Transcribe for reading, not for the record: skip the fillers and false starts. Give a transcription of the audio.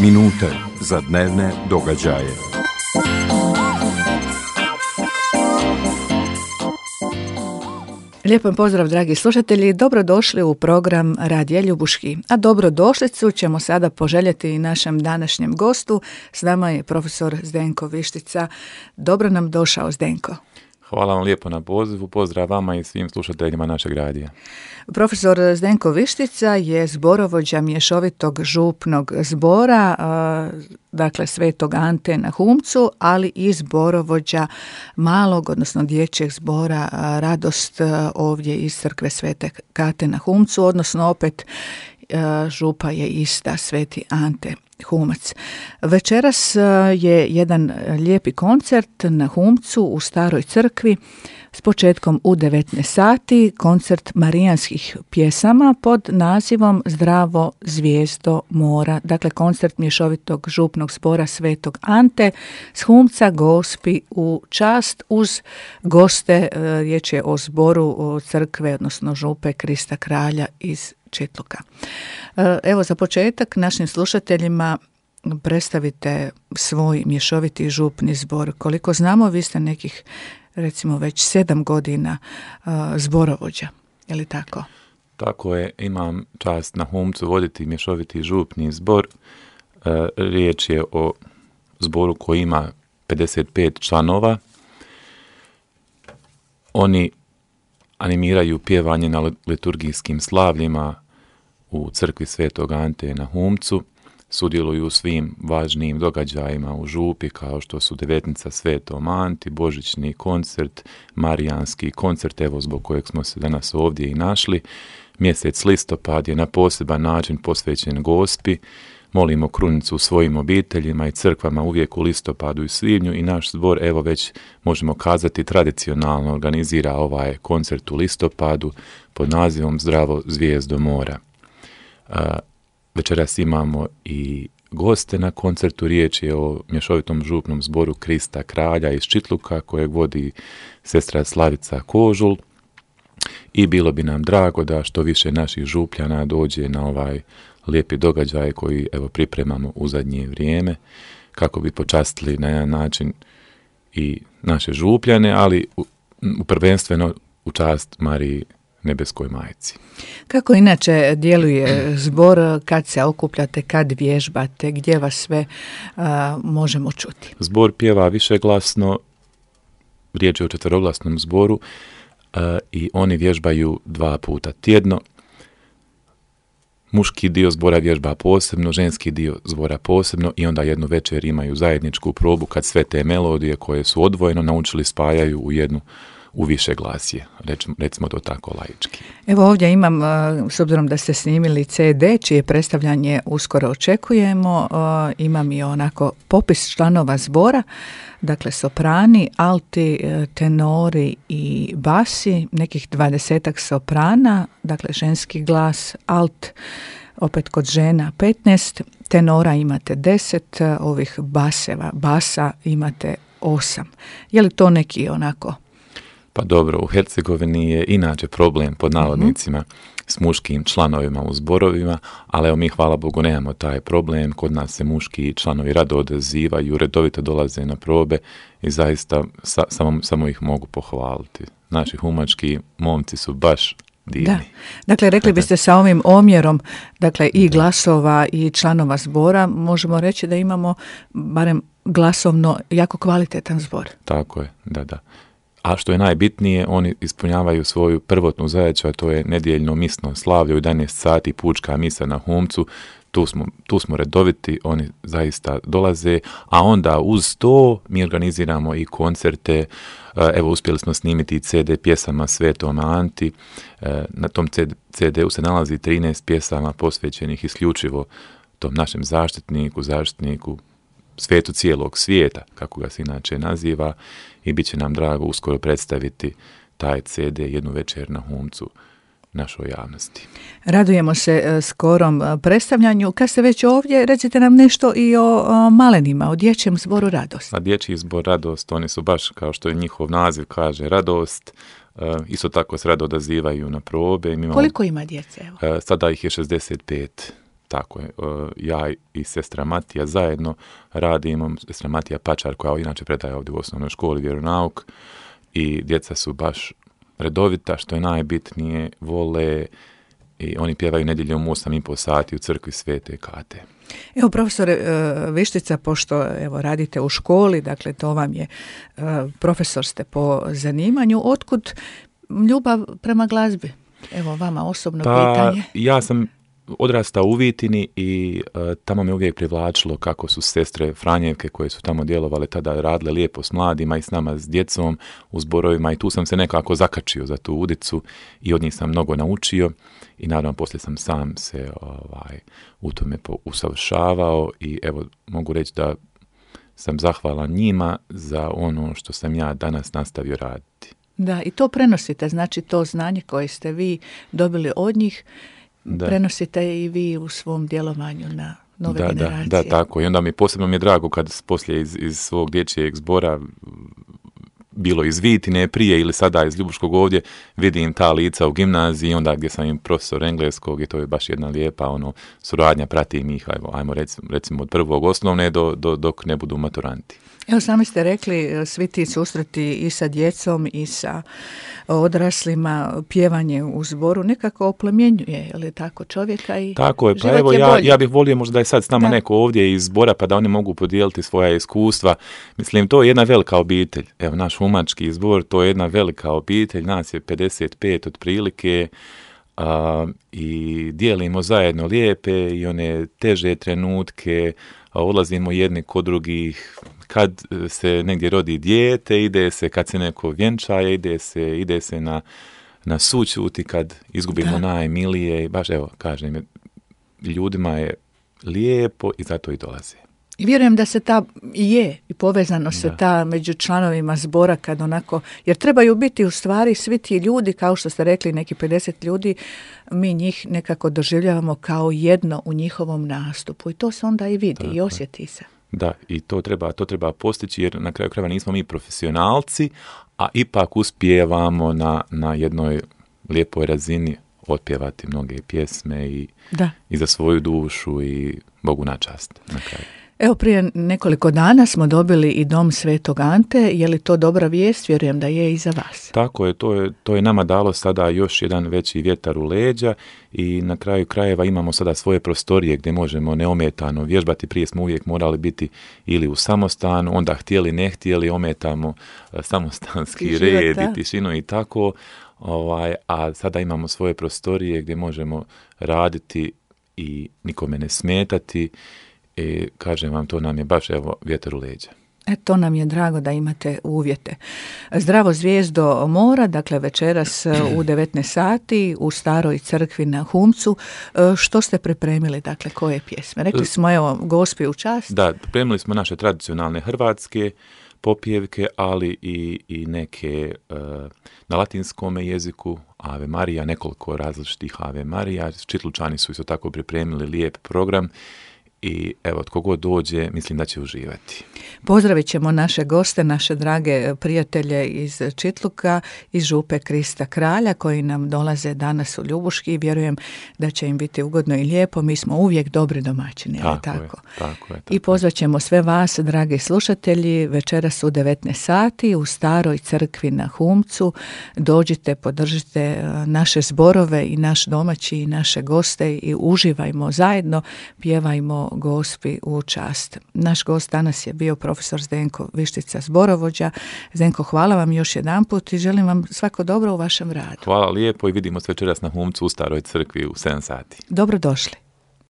Minute za dnevne događaje. Lijep pozdrav, dragi slušatelji, dobrodošli u program Radija Ljubuški. A dobrodošlicu ćemo sada poželjeti i našem današnjem gostu. S nama je profesor Zdenko Vištica. Dobro nam došao, Zdenko. Hvala vam lijepo na pozivu, pozdrav vama i svim slušateljima našeg radija. Profesor Zdenko Vištica je zborovođa mješovitog župnog zbora, dakle Svetog Ante na Humcu, ali i zborovođa malog, odnosno dječjeg zbora Radost ovdje iz crkve Svete Kate na Humcu, odnosno opet župa je ista, Sveti Ante Humac. Večeras je jedan lijepi koncert na Humcu u staroj crkvi s početkom u 19 sati, koncert marijanskih pjesama pod nazivom Zdravo zvijezdo mora. Dakle, koncert mješovitog župnog zbora Svetog Ante s Humca Gospi u čast uz goste. Riječ je o zboru crkve, odnosno župe Krista Kralja iz Čitluka. Evo, za početak našim slušateljima predstavite svoj mješoviti župni zbor. Koliko znamo, vi ste nekih, recimo, već 7 godina zborovođa, je li tako? Tako je, imam čast na Humcu voditi mješoviti župni zbor. Riječ je o zboru koji ima 55 članova. Oni animiraju pjevanje na liturgijskim slavljima u crkvi Svetog Ante na Humcu, sudjeluju u svim važnijim događajima u župi kao što su devetnica Svetom Anti, božićni koncert, marijanski koncert, evo zbog kojeg smo se danas ovdje i našli. Mjesec listopad je na poseban način posvećen Gospi. Molimo krunicu u svojim obiteljima i crkvama uvijek u listopadu i svibnju i naš zbor, evo već možemo kazati, tradicionalno organizira ovaj koncert u listopadu pod nazivom Zdravo zvijezdo mora. Večeras imamo i goste na koncertu, riječ je o mješovitom župnom zboru Krista Kralja iz Čitluka kojeg vodi sestra Slavica Kožul i bilo bi nam drago da što više naših župljana dođe na ovaj lijepi događaj koji evo pripremamo u zadnje vrijeme kako bi počastili na jedan način i naše župljane, ali prvenstveno u čast Mariji Nebeskoj Majci. Kako inače djeluje zbor, kad se okupljate, kad vježbate, gdje vas sve možemo čuti? Zbor pjeva višeglasno, riječ je o četveroglasnom zboru i oni vježbaju 2 puta tjedno. Muški dio zbora vježba posebno, ženski dio zbora posebno i onda jednu večer imaju zajedničku probu kad sve te melodije koje su odvojeno naučili spajaju u više glasje, recimo to tako laički. Evo ovdje imam, s obzirom da ste snimili CD, čije predstavljanje uskoro očekujemo, imam i onako popis članova zbora, dakle soprani, alti, tenori i basi, nekih 20 soprana, dakle ženski glas, alt, opet kod žena 15, tenora imate 10, ovih basa imate 8. Je li to neki onako? Pa dobro, u Hercegovini je inače problem pod navodnicima s muškim članovima u zborovima, ali evo mi hvala Bogu nemamo taj problem, kod nas se muški članovi rado odazivaju, redovito dolaze na probe i zaista samo ih mogu pohvaliti. Naši humački momci su baš divni. Da. Dakle, rekli biste sa ovim omjerom, dakle i glasova i članova zbora, možemo reći da imamo barem glasovno jako kvalitetan zbor. Tako je, da. A što je najbitnije, oni ispunjavaju svoju prvotnu zadaću, a to je nedjeljno misno slavlje u 11 sati, pučka misa na Humcu. Tu smo redoviti, oni zaista dolaze, a onda uz to mi organiziramo i koncerte. Evo, uspjeli smo snimiti CD pjesama Svetom Anti. Na tom CD-u se nalazi 13 pjesama posvećenih isključivo tom našem zaštitniku, svetu cijelog svijeta, kako ga se inače naziva, i bit će nam drago uskoro predstaviti taj CD jednu večer na Humcu našoj javnosti. Radujemo se skorom predstavljanju. Kad ste već ovdje, recite nam nešto i o malenima, o dječjem zboru Radost. A dječji zbor Radost, oni su baš, kao što je njihov naziv kaže, Radost. Isto tako se rado odazivaju na probe. Koliko ima djece? Evo? Sada ih je 65. Tako je. Ja i sestra Matija zajedno radimo, sestra Matija Pačar, koja inače predaje ovdje u osnovnoj školi vjeronauk, i djeca su baš redovita, što je najbitnije, vole, i oni pjevaju nedjeljom u 8,5 sati u crkvi Svete Kate. Evo, profesore Vištica, pošto evo radite u školi, dakle to vam je, profesor ste po zanimanju, otkud ljubav prema glazbi? Evo, vama osobno pitanje. Ja sam odrastao u Vitini i tamo me uvijek privlačilo kako su sestre Franjevke koje su tamo djelovale tada radile lijepo s mladima i s nama, s djecom u zborovima, i tu sam se nekako zakačio za tu udicu i od njih sam mnogo naučio i naravno poslije sam sam se u tome usavršavao i evo mogu reći da sam zahvalan njima za ono što sam ja danas nastavio raditi. Da, i to prenosite, znači to znanje koje ste vi dobili od njih, prenosite i vi u svom djelovanju na nove generacije. Da, tako. I onda posebno mi je drago kad poslije iz svog dječjeg zbora, bilo iz Vitine prije ili sada iz Ljubuškog ovdje, vidim ta lica u gimnaziji, onda gdje sam im profesor engleskog i to je baš jedna lijepa suradnja, pratim ih, ajmo recimo od prvog osnovne dok ne budu maturanti. Evo, sami ste rekli, svi ti susreti i sa djecom i sa odraslima, pjevanje u zboru nekako oplemenjuje, je li tako, čovjeka i tako je, pa evo ja bih volio možda da je sad s nama neko ovdje iz zbora pa da oni mogu podijeliti svoja iskustva. Mislim, to je jedna velika obitelj. Evo, naš humački zbor, to je jedna velika obitelj, nas je 55 otprilike, i dijelimo zajedno lijepe i one teže trenutke, odlazimo jedni kod drugih, kad se negdje rodi dijete, ide se, kad se neko vjenčaje, ide se na sućuti, kad izgubimo najmilije, baš evo, kažem, ljudima je lijepo i zato i dolaze. I vjerujem da se i povezano se ta među članovima zbora kad onako, jer trebaju biti u stvari svi ti ljudi, kao što ste rekli, neki 50 ljudi, mi njih nekako doživljavamo kao jedno u njihovom nastupu i to se onda i vidi i osjeti se. Da, i to treba postići jer na kraju krajeva nismo mi profesionalci, a ipak uspijevamo na jednoj lijepoj razini otpjevati mnoge pjesme i za svoju dušu i Bogu na čast na kraju. Evo, prije nekoliko dana smo dobili i dom Svetog Ante. Je li to dobra vijest? Vjerujem da je i za vas. Tako je, to je nama dalo sada još jedan veći vjetar u leđa i na kraju krajeva imamo sada svoje prostorije gdje možemo neometano vježbati. Prije smo uvijek morali biti ili u samostanu, onda htjeli ne htjeli, ometamo samostanski red i tišinu i tako, a sada imamo svoje prostorije gdje možemo raditi i nikome ne smetati. I kažem vam, to nam je baš vjetar u leđa. To nam je drago da imate uvjete. Zdravo zvijezdo mora, dakle večeras u 19 sati u Staroj crkvi na Humcu. Što ste pripremili, dakle koje pjesme? Rekli smo, evo, Gospi u čast. Da, pripremili smo naše tradicionalne hrvatske popjevke, ali i neke na latinskom jeziku, Ave Marija, nekoliko različitih Ave Marija. Čitlučani su isto tako pripremili lijep program. I evo, tko god dođe, mislim da će uživati. Pozdravit ćemo naše goste, naše drage prijatelje iz Čitluka, iz Župe Krista Kralja, koji nam dolaze danas u Ljubuški i vjerujem da će im biti ugodno i lijepo. Mi smo uvijek dobri domaćini, tako je. I pozvat ćemo sve vas, dragi slušatelji, večeras u 19 sati u Staroj crkvi na Humcu. Dođite, podržite naše zborove i naš domaći i naše goste i uživajmo zajedno, pjevajmo Gospi u čast. Naš gost danas je bio profesor Zdenko Vištica, zborovođa. Zdenko, hvala vam još jedanput i želim vam svako dobro u vašem radu. Hvala lijepo i vidimo se večeras na Humcu u Staroj crkvi u 7 sati. Dobrodošli.